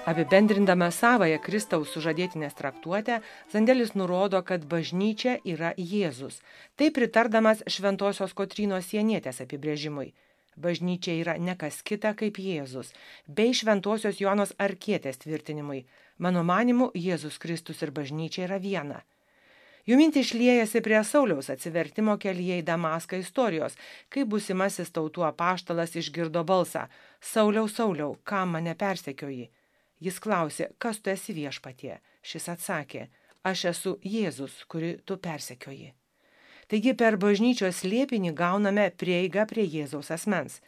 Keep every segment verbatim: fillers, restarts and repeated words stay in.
Apibendrindama savąją Kristaus sužadėtinės traktuotę, Zandelis nurodo, kad bažnyčia yra Jėzus. Tai pritardamas Šventosios Kotrynos Sienietės apibrėžimui. Bažnyčia yra ne kas kita kaip Jėzus, bei Šventosios Jonos Arkietės tvirtinimui. Mano manimu, Jėzus Kristus ir bažnyčia yra viena. Jų mintys šliejasi prie Sauliaus atsivertimo kelyje į Damaską istorijos, kai būsimasis tautų apaštalas išgirdo balsą: Sauliau, Sauliau, kam mane persekioji? Jis klausė: kas tu esi, Viešpatie? Šis atsakė: aš esu Jėzus, kurį tu persekioji. Taigi per bažnyčios slėpinį gauname prieigą prie Jėzaus asmens.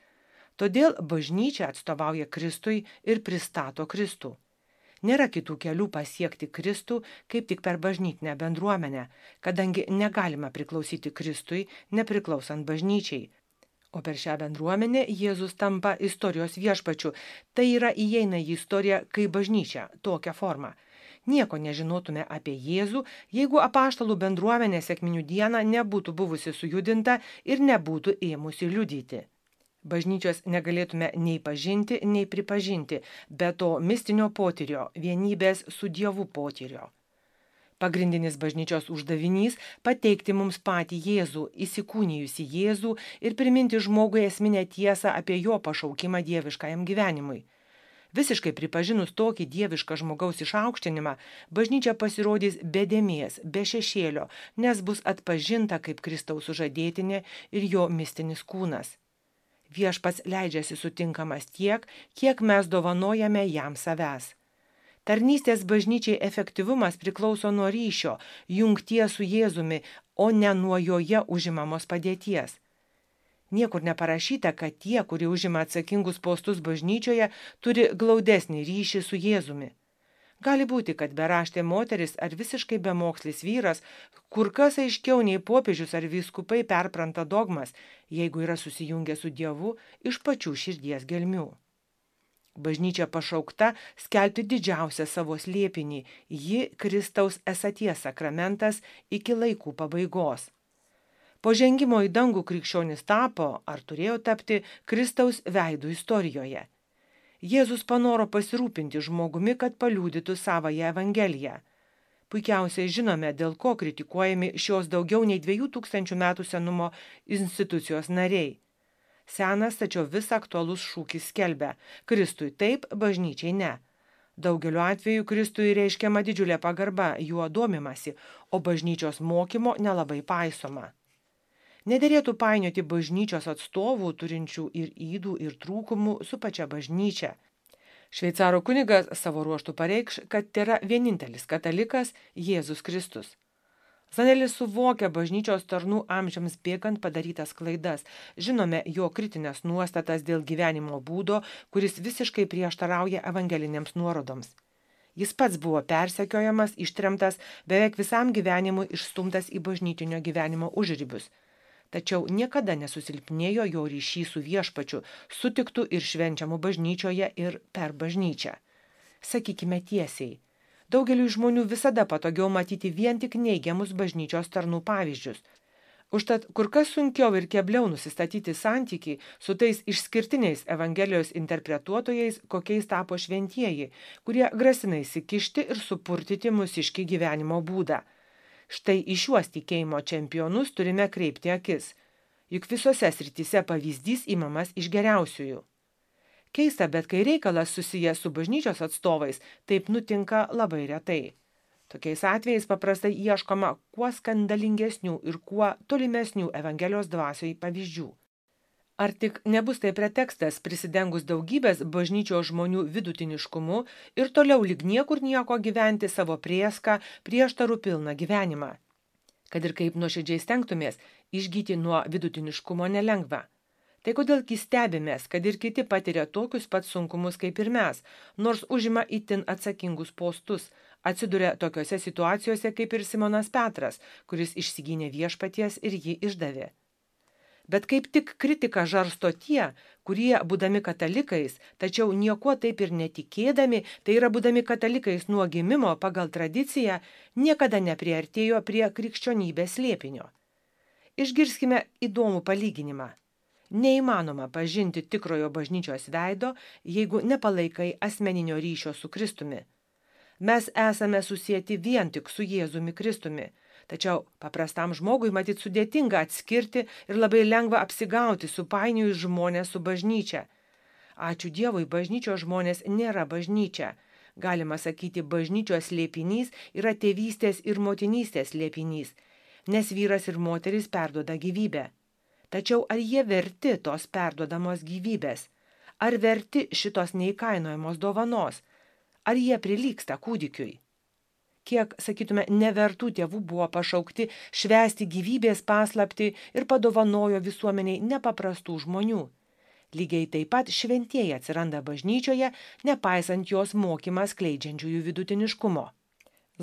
Todėl bažnyčia atstovauja Kristui ir pristato Kristų. Nėra kitų kelių pasiekti Kristų, kaip tik per bažnytinę bendruomenę, kadangi negalima priklausyti Kristui, nepriklausant bažnyčiai. O per šią bendruomenę Jėzus tampa istorijos viešpačiu, tai yra įeina į istoriją kaip bažnyčia, tokia forma. Nieko nežinotume apie Jėzų, jeigu apaštalų bendruomenė sekminių dieną nebūtų buvusi sujudinta ir nebūtų ėmusi liudyti. Bažnyčios negalėtume nei pažinti, nei pripažinti, be to mistinio potyrio, vienybės su Dievu potyrio. Pagrindinis bažnyčios uždavinys – pateikti mums patį Jėzų, įsikūnijusi Jėzų ir priminti žmogui esminę tiesą apie jo pašaukimą dieviškajam gyvenimui. Visiškai pripažinus tokį dievišką žmogaus išaukštinimą, bažnyčia pasirodys be dėmės, be šešėlio, nes bus atpažinta kaip Kristaus sužadėtinė ir jo mistinis kūnas. Viešpats leidžiasi sutinkamas tiek, kiek mes dovanojame jam savęs. Tarnystės bažnyčiai efektyvumas priklauso nuo ryšio, jungties su Jėzumi, o ne nuo joje užimamos padėties. Niekur neparašyta, kad tie, kurie užima atsakingus postus bažnyčioje, turi glaudesnį ryšį su Jėzumi. Gali būti, kad beraštė moteris ar visiškai bemokslis vyras kur kas aiškiau nei popiežius ar vyskupai perpranta dogmas, jeigu yra susijungę su Dievu iš pačių širdies gelmių. Bažnyčia pašaukta skelbti didžiausią savo slėpinį, ji Kristaus esaties sakramentas iki laikų pabaigos. Po žengimo į dangų krikščionis tapo, ar turėjo tapti, Kristaus veidų istorijoje. Jėzus panoro pasirūpinti žmogumi, kad paliudytų savąją Evangeliją. Puikiausiai žinome, dėl ko kritikuojami šios daugiau nei dviejų tūkstančių metų senumo institucijos nariai. Senas, tačiau vis aktualus šūkis skelbia: Kristui taip, bažnyčiai ne. Daugeliu atveju Kristui reiškiama didžiulė pagarba, juo domimasi, o bažnyčios mokymo nelabai paisoma. Nederėtų painioti bažnyčios atstovų, turinčių ir ydų, ir trūkumų, su pačia bažnyčia. Šveicaro kunigas savo ruožtų pareikš, kad tėra vienintelis katalikas Jėzus Kristus. Zandelis suvokia bažnyčios tarnų amžiams bėgant padarytas klaidas, žinome jo kritinės nuostatas dėl gyvenimo būdo, kuris visiškai prieštarauja evangelinėms nuorodoms. Jis pats buvo persekiojamas, ištremtas, beveik visam gyvenimui išstumtas į bažnytinio gyvenimo užribius. Tačiau niekada nesusilpnėjo jo ryšys su viešpačiu, sutiktų ir švenčiamų bažnyčioje ir per bažnyčią. Sakykime tiesiai, daugeliui žmonių visada patogiau matyti vien tik neigiamus bažnyčios tarnų pavyzdžius. Užtat kur kas sunkiau ir kebliau nusistatyti santykį su tais išskirtiniais Evangelijos interpretuotojais, kokiais tapo šventieji, kurie grasina įsikišti ir supurtyti mūsiškį gyvenimo būdą. Štai į šiuos tikėjimo čempionus turime kreipti akis, juk visose srityse pavyzdys imamas iš geriausiųjų. Keista, bet kai reikalas susijęs su bažnyčios atstovais, taip nutinka labai retai. Tokiais atvejais paprastai ieškoma kuo skandalingesnių ir kuo tolimesnių Evangelijos dvasioj pavyzdžių. Ar tik nebus tai pretekstas prisidengus daugybės bažnyčios žmonių vidutiniškumu ir toliau lyg niekur nieko gyventi savo prieską prieštarų pilną gyvenimą? Kad ir kaip nuoširdžiai stengtumės, išgyti nuo vidutiniškumo nelengva. Tai kodėlgi stebimės, kad ir kiti patiria tokius pat sunkumus kaip ir mes, nors užima itin atsakingus postus, atsiduria tokiose situacijose kaip ir Simonas Petras, kuris išsigynė viešpaties ir jį išdavė. Bet kaip tik kritiką žarsto tie, kurie, būdami katalikais, tačiau niekuo taip ir netikėdami, tai yra būdami katalikais nuo gimimo pagal tradiciją, niekada nepriartėjo prie krikščionybės slėpinio. Išgirskime įdomų palyginimą. Neįmanoma pažinti tikrojo bažnyčios veido, jeigu nepalaikai asmeninio ryšio su Kristumi. Mes esame susieti vien tik su Jėzumi Kristumi, tačiau paprastam žmogui matyt sudėtinga atskirti ir labai lengva apsigauti, supainiojus žmonės su bažnyčia. Ačiū Dievui, bažnyčios žmonės nėra bažnyčia. Galima sakyti, bažnyčios slėpinys yra tėvystės ir motinystės slėpinys, nes vyras ir moteris perduoda gyvybę. Tačiau ar jie verti tos perduodamos gyvybės? Ar verti šitos neįkainojamos dovanos? Ar jie prilygsta kūdikiui? Kiek, sakytume, nevertų tėvų buvo pašaukti švęsti gyvybės paslaptį ir padovanojo visuomeniai nepaprastų žmonių. Lygiai taip pat šventieji atsiranda bažnyčioje, nepaisant jos mokymą skleidžiančiųjų vidutiniškumo.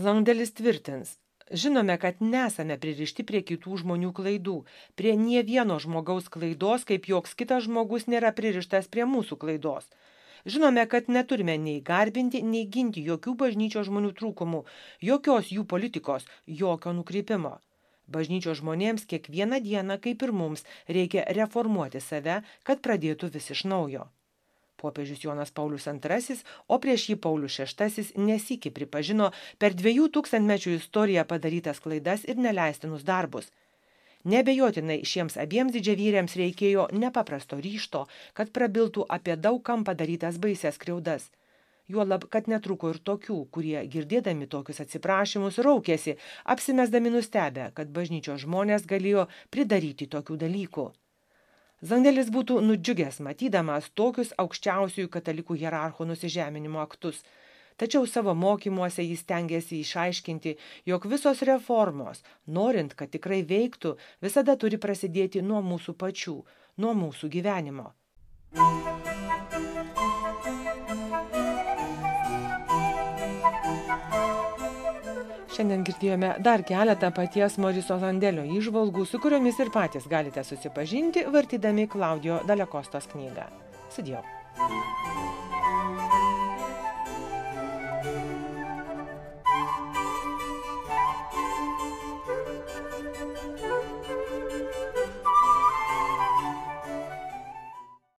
Zandelis tvirtins, žinome, kad nesame pririšti prie kitų žmonių klaidų, prie nie vieno žmogaus klaidos, kaip joks kitas žmogus nėra pririštas prie mūsų klaidos. Žinome, kad neturime nei garbinti, nei ginti jokių bažnyčios žmonių trūkumų, jokios jų politikos, jokio nukrypimo. Bažnyčios žmonėms kiekvieną dieną, kaip ir mums, reikia reformuoti save, kad pradėtų vis iš naujo. Popiežius Jonas Paulius antrasis, o prieš jį Paulius šeštasis nesykį pripažino per dviejų tūkstantmečių istoriją padarytas klaidas ir neleistinus darbus. Neabejotinai šiems abiems didžiavyriams reikėjo nepaprasto ryžto, kad prabiltų apie daug kam padarytas baisias skriaudas. Juolab, kad netruko ir tokių, kurie, girdėdami tokius atsiprašymus, raukėsi, apsimesdami nustebę, kad bažnyčios žmonės galėjo pridaryti tokių dalykų. Zandelis būtų nudžiugęs matydamas tokius aukščiausiųjų katalikų hierarchų nusižeminimo aktus. Tačiau savo mokymuose jis stengiasi išaiškinti, jog visos reformos, norint, kad tikrai veiktų, visada turi prasidėti nuo mūsų pačių, nuo mūsų gyvenimo. Šiandien girdėjome dar keletą paties Moriso Zandelio įžvalgų, su kuriomis ir patys galite susipažinti, vartydami Klaudijo Dalekostos knygą. Sudie.